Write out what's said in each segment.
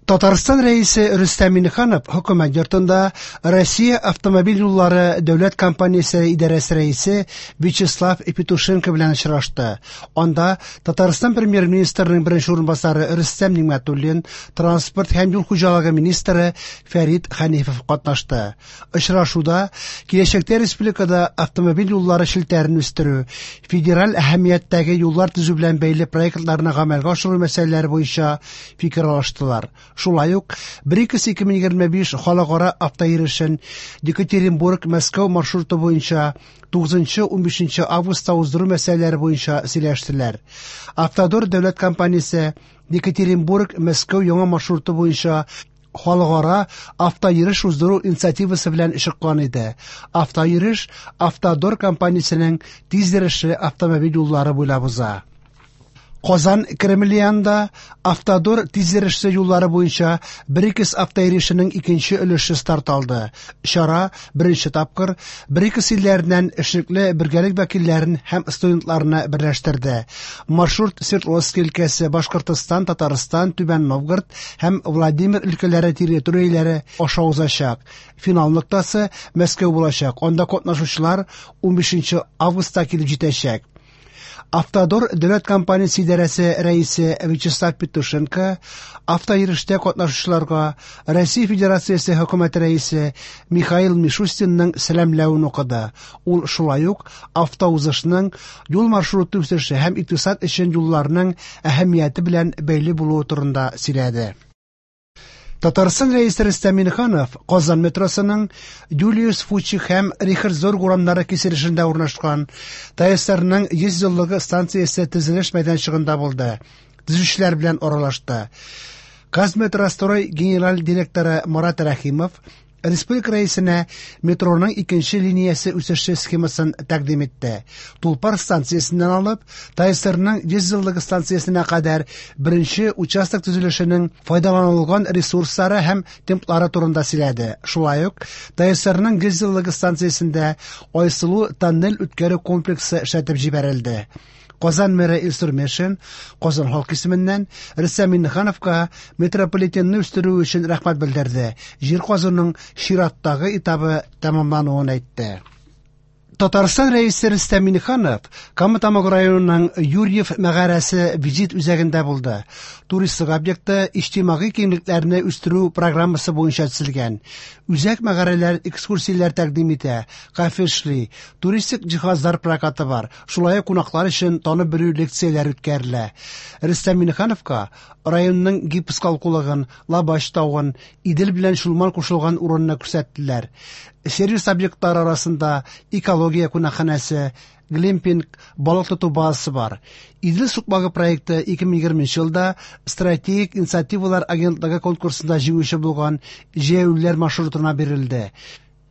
Татарстан Рәисе Рөстәм Миңнеханов Хөкүмәт йортында Россия автомобиль юллары дәүләт компаниясе идарәсе рәисе Вячеслав Петушенко белән очрашты. Анда Татарстан Премьер-министрының беренче урынбасары Рөстәм Нигъмәтуллин, транспорт һәм юл хуҗалыгы министры Фәрит Хәнифов катнашты. Очрашуда киләчәктә республикада автомобиль юллары челтәрен үстерү, федераль әһәмияттәге юллар төзү белән бәйле проектларны гамәлгә ашыру мәсьәләләре буенча фикер алыштылар. Шулай ук БРИКС 2025 халыкара автойөрешен Екатеринбург-Мәскәү маршруты буенча 9-15 августта уздыру мәсьәләләре буенча сөйләштеләр. Автодор дәүләт компаниясе Екатеринбург-Мәскәү яңа маршруты буенча халыкара автойөреш уздыру инициативасы белән чыккан иде. Автойөреш Автодор компаниясенең тиз йөрешле автомобиль юллары буйлап уза. Казан Кремле янында Автодор тиз йөрешле юллары буенча БРИКС автойөрешенең икенче өлеше старт алды. Чара беренче тапкыр БРИКС илләреннән эшлекле бергәлек вәкилләрен һәм студентларны берләштерде. Маршрут Свердловск өлкәсе, Башкортостан, Татарстан, Түбән Новгород һәм Владимир өлкәләре территорияләре аша узачак. Финал ноктасы Мәскәү булачак. Анда катнашучылар 15 августта килеп җитәчәк. Автодор дәүләт компаниясе идарәсе рәисе Вячеслав Петушенко автойөрештә катнашучыларга Россия Федерациясе хөкүмәте рәисе Михаил Мишустинның сәламләвен укыды. Ул шулай ук автоузышның юл маршруты үсеше һәм икътисад өчен юлларның әһәмияте белән бәйле булуы турында сөйләде. Татарстан Рәисе Рөстәм Миңнеханов Казан метросының Юлиус Фучик һәм Рихард Зорг урамнары киселешендә урнашкан ТАССРның 100 еллыгы станциясе төзелеш мәйданчыгында булды. Төзүчеләр белән аралашты. Казметрострой генераль директоры Марат Рәхимов республика рәисенә метроның икенче линиясе үсеше схемасын тәкъдим итте. Тулпар станциясеннән алып, ТАССРның 100 еллыгы станциясенә кадәр беренче участок төзелешенең файдаланылган ресурслары һәм темплары турында сөйләде. Шулай ук ТАССРның 100 еллыгы станциясендә Айсылу тоннель үткәрү комплексы эшләтеп җибәрелде. Казан мэры Илсур Метшин Казан халкы исеменнән Рөстәм Миңнехановка метрополитенны үстерү өчен рәхмәт белдерде. Җир казуның чираттагы этабы тәмамлануын әйтте. Татарстан Рәисе Рөстәм Миңнеханов Кама Тамагы районының Юрьев мәгарәсе визит үзәгендә булды. Туристлык объекты иҗтимагый киңлекләрне үстерү программасы буенча төзелгән. Үзәк мәгарәләр экскурсияләр тәкъдим итә, кафе эшли, туристик җиһазлар прокаты бар. Шулай ук кунаклар өчен танып белү лекцияләре үткәрелә. Рөстәм Миңнехановка районның гипс калкулыгын, Лабач тавын, Идел белән Чулман кушылган урынны күрсәттеләр. Сервис объектлары арасында экология кунакханәсе, глэмпинг, балык тоту базасы бар. Идел сукмагы проекты 2020 елда стратегик инициативалар агентлыгы конкурсында җиңүче булган җәяүлеләр маршрутына бирелде.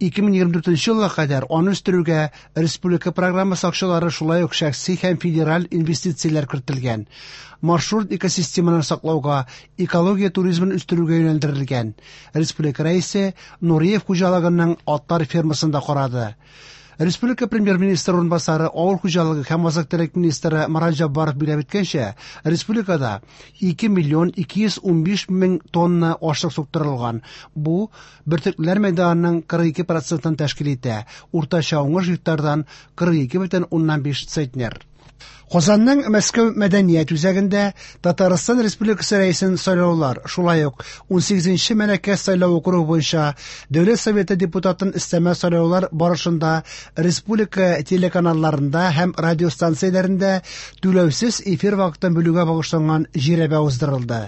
2024 елга кадәр аны үстерүгә республика программасы акчалары, шулай ук шәхси һәм федераль инвестицияләр кертелгән. Маршрут экосистеманы саклауга, экология туризмын үстерүгә юнәлдерелгән. Республика Рәисе Нуриев хуҗалыгының атлар фермасын да карады. Республика Премьер-министры урынбасары, авыл хуҗалыгы һәм азык-төлек министры Марат Җаббаров билгеләп үткәнчә, республикада 2 миллион 215 мең тонна ашлык суктырылган. Бу бөртеклеләр мәйданының 42 процентын тәшкил итә. Уртача уңыш гектардан 42,5 центнер. Казанның Мәскәү мәдәният үзәгендә Татарстан Республикасы Рәисен сайлаулар, шулай ук 18нче Мәләкәс сайлау округы буенча Дәүләт Советы депутатын өстәмә сайлаулар барышында республика телеканалларында һәм радиостанцияләрендә түләүсез эфир вакытын бүлүгә багышланган жирәбә уздырылды.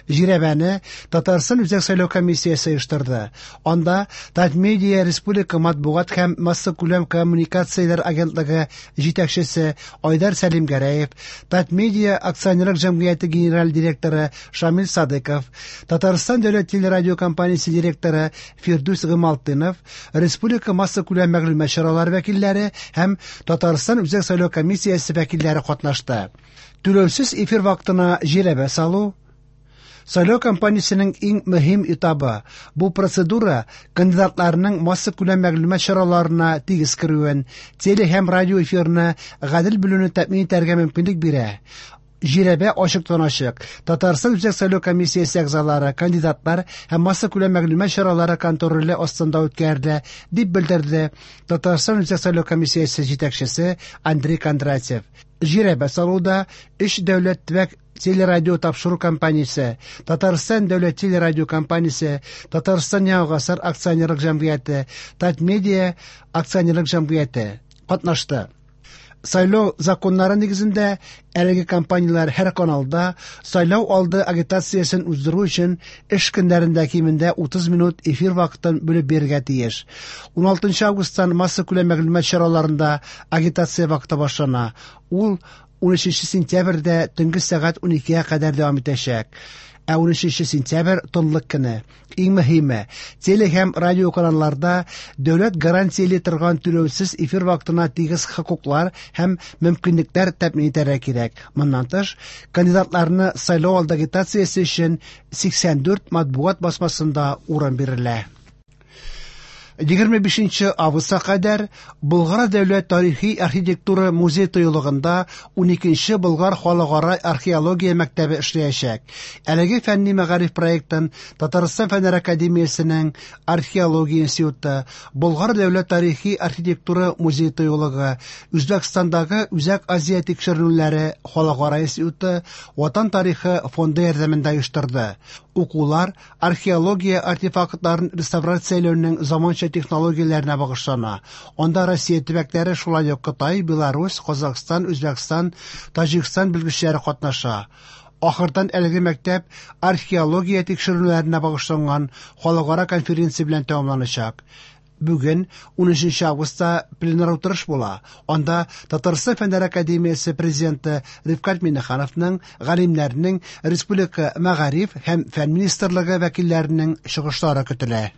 Жирәбәне Татарстан Үзәк сайлау комиссиясе оештырды. Анда Татмедиа республика матбугат һәм массакүләм коммуникацияләр агентлыгы җитәкчесе Айдар Сәлимгәрәев, Татмедиа акционерлык җәмгыяте генераль директоры Шамил Садыков, Татарстан дәүләт телерадиокомпаниясе директоры Фирдүс Гыймалтдинов, республика массакүләм мәгълүмат чаралары вәкилләре һәм Татарстан Үзәк сайлау комиссиясе вәкилләре катнашты. Түләүсез эфир вакытына жирәбә салу сайлау кампаниясенең иң мөһим этабы. Бу процедура кандидатларның массакүләм мәгълүмат чараларына тигез керүен, теле һәм радио эфирны гадел бүлүне тәэмин итәргә мөмкинлек бирә. Жирәбә ачыктан-ачык Татарстан Үзәк сайлау комиссиясе әгъзалары, кандидатлар һәм массакүләм мәгълүмат чаралары контроле астында үткәрелә, дип белдерде Татарстан Үзәк сайлау комиссиясе җитәкчесе Андрей Кондратьев. Жирәбә салуда өч дәүләт төбәк телерадио тапшыру компаниясе, Татарстан дәүләт телерадио компаниясе, Татарстан Яңа гасыр акционерлык җәмгыяте, Татмедиа акционерлык җәмгыяте катнашты. Сайлау законнары нигезендә әлеге компанияләр һәр каналда сайлау алды агитациясен уздыру өчен эш көннәрендә кимендә 30 минут эфир вакытын бүлеп бирергә тиеш. 16 августтан массакүләм мәгълүмат чараларында агитация вакыты башлана. Ул 13 сентябрьдә төнге сәгать 12-гә кадәр дәвам итәчәк. Ә 13 сентябрь тынлык көне. Иң мөһиме, теле һәм радио каналларда дәүләт гарантияли торган түләүсез эфир вакытына тигез хокуклар һәм мөмкинлекләр тәэмин итәргә кирәк. Моннан тыш, кандидатларны сайлау алды агитациясе өчен 84 матбугат басмасында урын бирелә. 25 августка кадәр Болгар дәүләт тарихи архитектура музей тыюлыгында 12 Болгар халыкара археология мәктәбе эшләячәк. Әлеге фәнни мәгариф проектын Татарстан Фәннәр академиясенең Археология институты, Болгар дәүләт тарихи архитектура музей тыюлыгы, Үзбәкстандагы Үзәк Азия тикшеренүләре халыкара институты, Ватан тарихы фонды ярдәмендә оештырды. Укулар археология артефактларын реставрацияләүнең заманча технологияләренә багышлана. Анда Россия төбәкләре, шулай ук Кытай, Беларусь, Казахстан, Үзбәкстан, Таҗикстан белгечләре катнаша. Ахырдан әлеге мәктәп археология тикшеренүләренә багышланган халыкара конференция белән тәмамланачак. Бүген 13 августта пленар утырыш була. Анда Татарстан Фәннәр академиясе президенты Рифкать Миңнехановның, галимнәрнең, республика мәгариф һәм фән министрлыгы вәкилләренең чыгышлары көтелә.